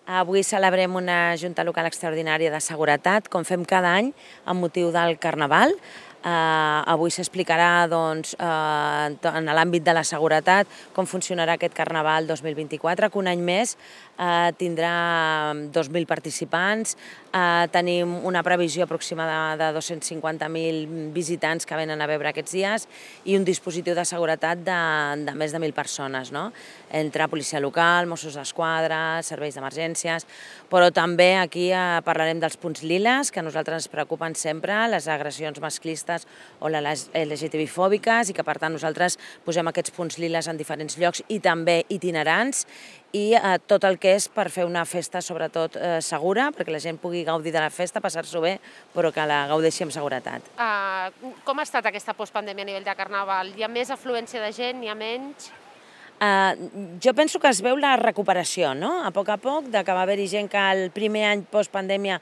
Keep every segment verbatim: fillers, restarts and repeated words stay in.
Avui celebrem una Junta Local Extraordinària de Seguretat, com fem cada any, amb motiu del Carnaval. Uh, avui s'explicarà doncs, uh, en l'àmbit de la seguretat com funcionarà aquest Carnaval dos mil vint-i-quatre, que un any més uh, tindrà dos mil participants. Uh, tenim una previsió aproximada de dos-cents cinquanta mil visitants que venen a veure aquests dies i un dispositiu de seguretat de, de més de mil persones, no? Entre policia local, Mossos d'Esquadra, serveis d'emergències, però també aquí uh, parlarem dels punts liles, que a nosaltres ens preocupen sempre, les agressions masclistes o les L G T B-fòbiques, i que per tant nosaltres posem aquests punts liles en diferents llocs i també itinerants, i eh, tot el que és per fer una festa sobretot eh, segura, perquè la gent pugui gaudir de la festa, passar-s'ho bé, però que la gaudeixi amb seguretat. Uh, com ha estat aquesta postpandèmia a nivell de Carnaval? Hi ha més afluència de gent, hi ha menys? Uh, jo penso que es veu la recuperació, no? A poc a poc, de que va haver-hi gent que el primer any postpandèmia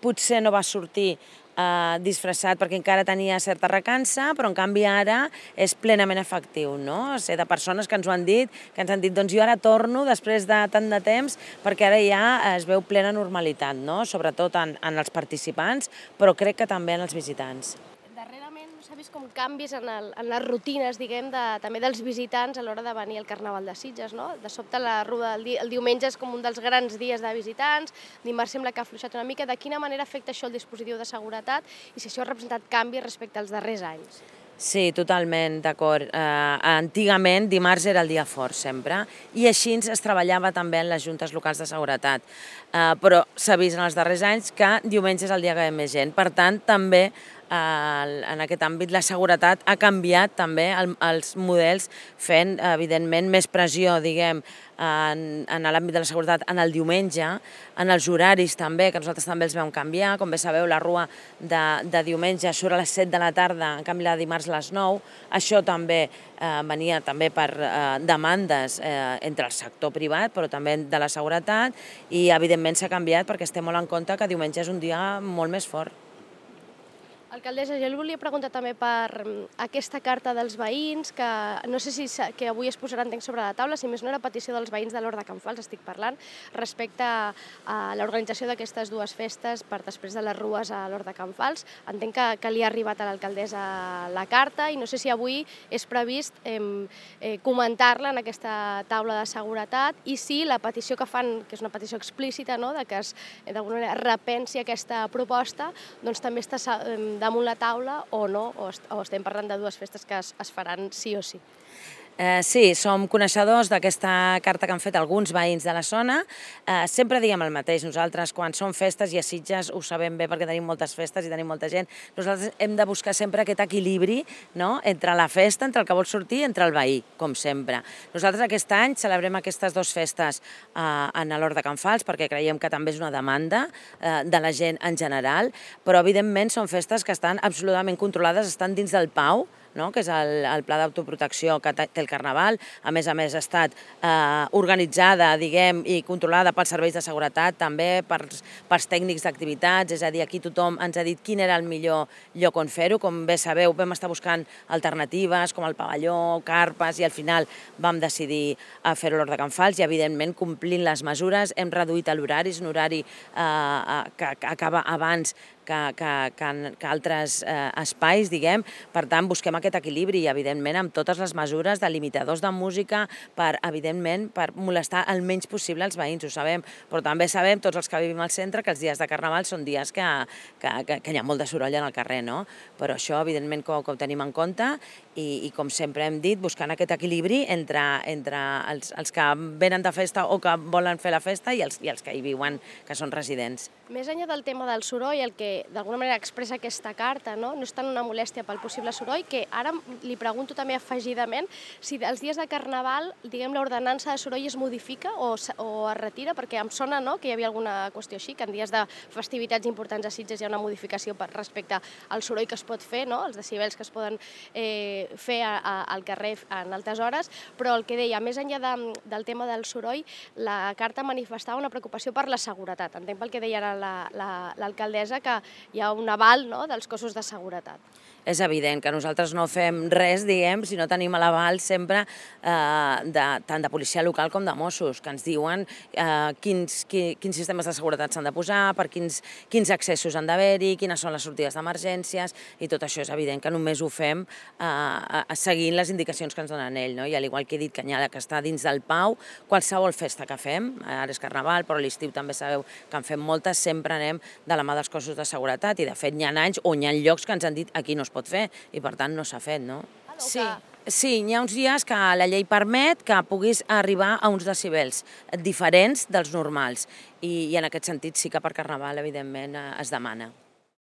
potser no va sortir Uh, disfressat perquè encara tenia certa recança, però en canvi ara és plenament efectiu, no? O sigui, de persones que ens ho han dit, que ens han dit, doncs jo ara torno després de tant de temps, perquè ara ja es veu plena normalitat, no? Sobretot en, en els participants, però crec que també en els visitants. Darrerament s'ha vist com canvis en, el, en les rutines, diguem, de, també dels visitants a l'hora de venir al Carnaval de Sitges, no? De sobte la ruda el, di, el diumenge és com un dels grans dies de visitants, dimarts sembla que ha afluixat una mica. De quina manera afecta això el dispositiu de seguretat i si això ha representat canvis respecte als darrers anys? Sí, totalment, d'acord. Uh, antigament, dimarts era el dia fort, sempre, i així es treballava també en les juntes locals de seguretat. Uh, però s'ha vist en els darrers anys que diumenge és el dia que hi ha més gent. Per tant, també uh, en aquest àmbit la seguretat ha canviat també el, els models, fent, evidentment, més pressió, diguem, en, en l'àmbit de la seguretat en el diumenge, en els horaris també, que nosaltres també els vam canviar. Com bé sabeu, la rua de, de diumenge surt a les set de la tarda, en canvi la de dimarts a les nou. Això també eh, venia també per eh, demandes eh, entre el sector privat, però també de la seguretat, i evidentment s'ha canviat perquè estem molt en compte que diumenge és un dia molt més fort. Alcaldessa, jo li volia preguntar també per aquesta carta dels veïns, que no sé si que avui es posarà, entenc, sobre la taula, si més no era petició dels veïns de l'Hort de Can Fals, estic parlant, respecte a l'organització d'aquestes dues festes per després de les rues a l'Hort de Can Fals. Entenc que, que li ha arribat a l'alcaldessa la carta i no sé si avui és previst eh, eh, comentar-la en aquesta taula de seguretat i si la petició que fan, que és una petició explícita, no?, de que es d'alguna manera repensi aquesta proposta, doncs també està eh, damunt la taula o no, o, est o estem parlant de dues festes que es, es faran sí o sí. Eh, sí, som coneixedors d'aquesta carta que han fet alguns veïns de la zona. Eh, sempre diem el mateix, nosaltres quan són festes i a Sitges ho sabem bé perquè tenim moltes festes i tenim molta gent, nosaltres hem de buscar sempre aquest equilibri, no?, entre la festa, entre el que vol sortir i entre el veí, com sempre. Nosaltres aquest any celebrem aquestes dues festes eh, en l'Hort de Can Fals perquè creiem que també és una demanda eh, de la gent en general, però evidentment són festes que estan absolutament controlades, estan dins del P A U, no?, que és el, el pla d'autoprotecció que té el Carnaval. A més a més ha estat eh, organitzada, diguem, i controlada pels serveis de seguretat, també pels, pels tècnics d'activitats, és a dir, aquí tothom ens ha dit quin era el millor lloc on fer-ho. Com bé sabeu, vam estar buscant alternatives com el pavelló, carpes, i al final vam decidir fer-ho a l'Hort de Can Fals i, evidentment, complint les mesures, hem reduït l'horari, és un horari eh, que, que acaba abans que, que, que, que altres eh, espais, diguem. Per tant, busquem aquest equilibri i, evidentment, amb totes les mesures de limitadors de música per, evidentment, per molestar el menys possible els veïns, ho sabem, però també sabem, tots els que vivim al centre, que els dies de Carnaval són dies que, que, que, que hi ha molt de soroll en el carrer, no? Però això, evidentment, que, que ho tenim en compte i, i, com sempre hem dit, buscant aquest equilibri entre, entre els, els que venen de festa o que volen fer la festa i els, i els que hi viuen, que són residents. Més enllà del tema del soroll, el que d'alguna manera expressa aquesta carta, no? No és tant una molèstia pel possible soroll, que ara li pregunto també afegidament si els dies de Carnaval, diguem, l'ordenança de soroll es modifica o, o es retira, perquè em sona, no?, que hi havia alguna qüestió així, que en dies de festivitats importants a Sitges hi ha una modificació per, respecte al soroll que es pot fer, no?, els decibels que es poden eh, fer a, a, al carrer en altes hores, però el que deia, més enllà de, del tema del soroll, la carta manifestava una preocupació per la seguretat. Entenc pel que deia ara l'alcaldessa, que hi ha un aval, no?, dels cossos de seguretat. és evident que nosaltres no fem res, diguem, si no tenim l'aval sempre eh, de, tant de policia local com de Mossos, que ens diuen eh, quins, qui, quins sistemes de seguretat s'han de posar, per quins, quins accessos han d'haver-hi, quines són les sortides d'emergències, i tot això és evident que només ho fem eh, seguint les indicacions que ens donen ell, no? I al igual que he dit, Canyada, que està dins del Pau, qualsevol festa que fem, ara és Carnaval, però a l'estiu també sabeu que en fem moltes, sempre anem de la mà dels cossos de seguretat, i de fet hi ha anys o hi ha llocs que ens han dit aquí no es pot fer, i per tant no s'ha fet, no? Sí, sí, hi ha uns dies que la llei permet que puguis arribar a uns decibels diferents dels normals, i, i en aquest sentit sí que per Carnaval, evidentment, es demana.